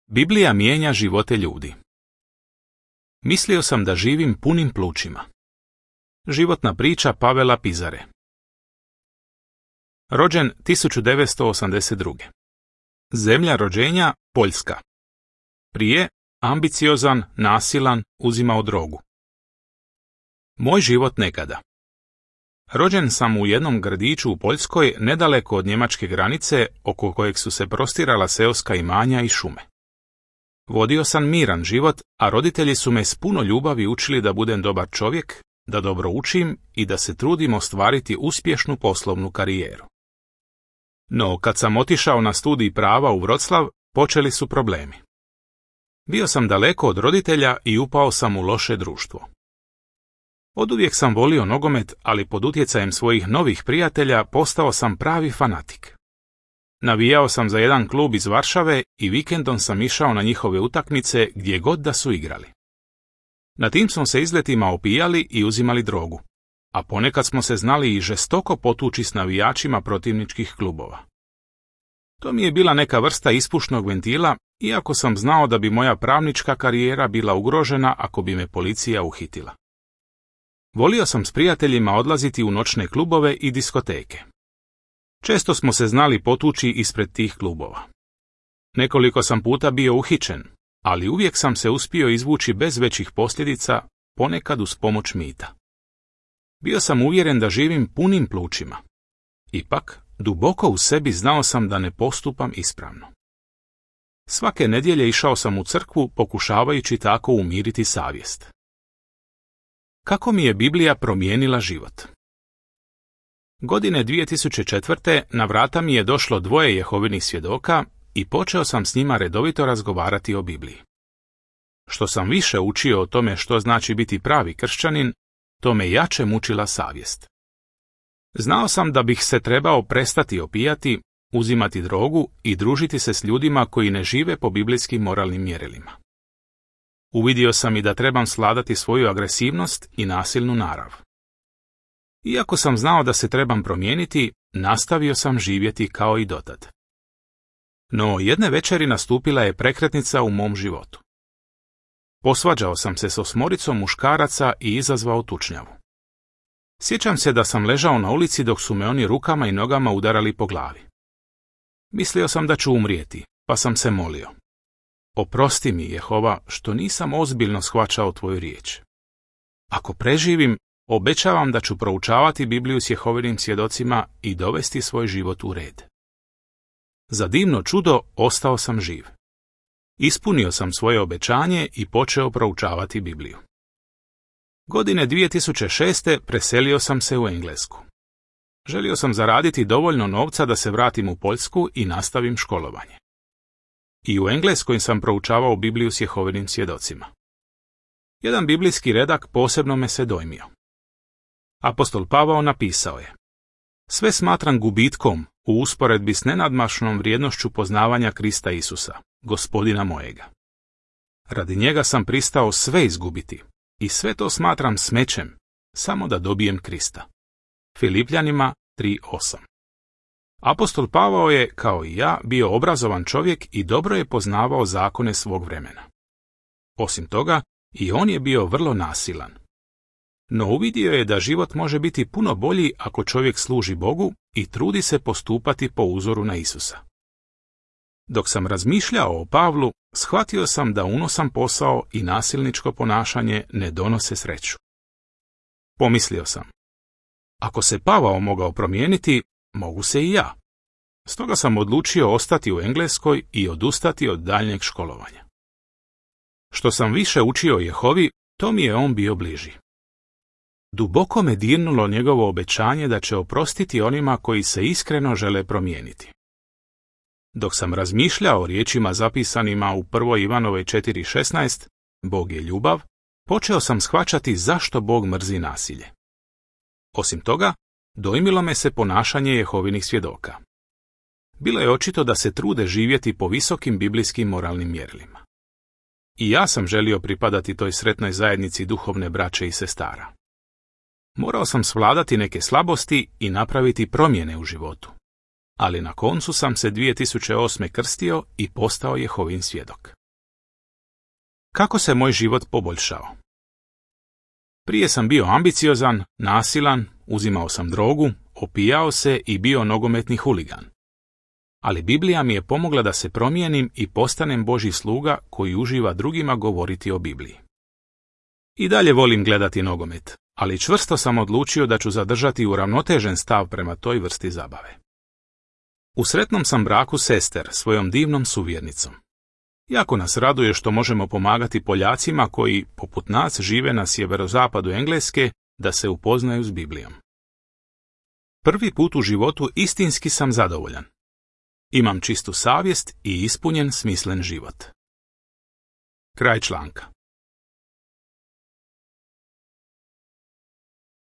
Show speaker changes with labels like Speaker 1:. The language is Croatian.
Speaker 1: Biblija mijenja živote ljudi. Mislio sam da živim punim plućima. Životna priča Pavela Pizare. Rođen 1982. Zemlja rođenja Poljska. Prije ambiciozan, nasilan, uzimao drogu. Moj život nekada. Rođen sam u jednom gradiću u Poljskoj nedaleko od njemačke granice oko kojeg su se prostirala seoska imanja i šume. Vodio sam miran život, a roditelji su me s puno ljubavi učili da budem dobar čovjek, da dobro učim i da se trudim ostvariti uspješnu poslovnu karijeru. No, kad sam otišao na studij prava u Vroclav, počeli su problemi. Bio sam daleko od roditelja i upao sam u loše društvo. Oduvijek sam volio nogomet, ali pod utjecajem svojih novih prijatelja postao sam pravi fanatik. Navijao sam za jedan klub iz Varšave i vikendom sam išao na njihove utakmice gdje god da su igrali. Na tim smo se izletima opijali i uzimali drogu, a ponekad smo se znali i žestoko potući s navijačima protivničkih klubova. To mi je bila neka vrsta ispušnog ventila, iako sam znao da bi moja pravnička karijera bila ugrožena ako bi me policija uhitila. Volio sam s prijateljima odlaziti u noćne klubove i diskoteke. Često smo se znali potući ispred tih klubova. Nekoliko sam puta bio uhićen, ali uvijek sam se uspio izvući bez većih posljedica, ponekad uz pomoć mita. Bio sam uvjeren da živim punim plućima. Ipak, duboko u sebi znao sam da ne postupam ispravno. Svake nedjelje išao sam u crkvu pokušavajući tako umiriti savjest. Kako mi je Biblija promijenila život? Godine 2004. na vrata mi je došlo 2 Jehovinih svjedoka i počeo sam s njima redovito razgovarati o Bibliji. Što sam više učio o tome što znači biti pravi kršćanin, to me jače mučila savjest. Znao sam da bih se trebao prestati opijati, uzimati drogu i družiti se s ljudima koji ne žive po biblijskim moralnim mjerilima. Uvidio sam i da trebam svladati svoju agresivnost i nasilnu narav. Iako sam znao da se trebam promijeniti, nastavio sam živjeti kao i dotad. No, jedne večeri nastupila je prekretnica u mom životu. Posvađao sam se s 8 muškaraca i izazvao tučnjavu. Sjećam se da sam ležao na ulici dok su me oni rukama i nogama udarali po glavi. Mislio sam da ću umrijeti, pa sam se molio. Oprosti mi, Jehova, što nisam ozbiljno shvaćao tvoju riječ. Ako preživim, obećavam da ću proučavati Bibliju s Jehovinim svjedocima i dovesti svoj život u red. Za divno čudo ostao sam živ. Ispunio sam svoje obećanje i počeo proučavati Bibliju. Godine 2006. preselio sam se u Englesku. Želio sam zaraditi dovoljno novca da se vratim u Poljsku i nastavim školovanje. I u Engleskoj sam proučavao Bibliju s Jehovinim svjedocima. Jedan biblijski redak posebno me se dojmio. Apostol Pavao napisao je: sve smatram gubitkom u usporedbi s nenadmašnom vrijednošću poznavanja Krista Isusa, Gospodina mojega. Radi njega sam pristao sve izgubiti i sve to smatram smećem, samo da dobijem Krista. Filipljanima 3:8. Apostol Pavao je, kao i ja, bio obrazovan čovjek i dobro je poznavao zakone svog vremena. Osim toga, i on je bio vrlo nasilan. No uvidio je da život može biti puno bolji ako čovjek služi Bogu i trudi se postupati po uzoru na Isusa. Dok sam razmišljao o Pavlu, shvatio sam da unosan posao i nasilničko ponašanje ne donose sreću. Pomislio sam: ako se Pavao mogao promijeniti, mogu se i ja. Stoga sam odlučio ostati u Engleskoj i odustati od daljnjeg školovanja. Što sam više učio o Jehovi, to mi je on bio bliži. Duboko me dirnulo njegovo obećanje da će oprostiti onima koji se iskreno žele promijeniti. Dok sam razmišljao o riječima zapisanima u 1. Ivanovoj 4:16, Bog je ljubav, počeo sam shvaćati zašto Bog mrzi nasilje. Osim toga, dojmilo me se ponašanje Jehovinih svjedoka. Bilo je očito da se trude živjeti po visokim biblijskim moralnim mjerilima. I ja sam želio pripadati toj sretnoj zajednici duhovne braće i sestara. Morao sam svladati neke slabosti i napraviti promjene u životu. ali na koncu sam se 2008. krstio i postao Jehovin svjedok. Kako se moj život poboljšao? Prije sam bio ambiciozan, nasilan, uzimao sam drogu, opijao se i bio nogometni huligan. Ali Biblija mi je pomogla da se promijenim i postanem Božji sluga koji uživa drugima govoriti o Bibliji. I dalje volim gledati nogomet, ali čvrsto sam odlučio da ću zadržati uravnotežen stav prema toj vrsti zabave. U sretnom sam braku s Ester, svojom divnom suvjernicom. Jako nas raduje što možemo pomagati Poljacima koji, poput nas, žive na sjeverozapadu Engleske, da se upoznaju s Biblijom. Prvi put u životu istinski sam zadovoljan. Imam čistu savjest i ispunjen smislen život. Kraj članka.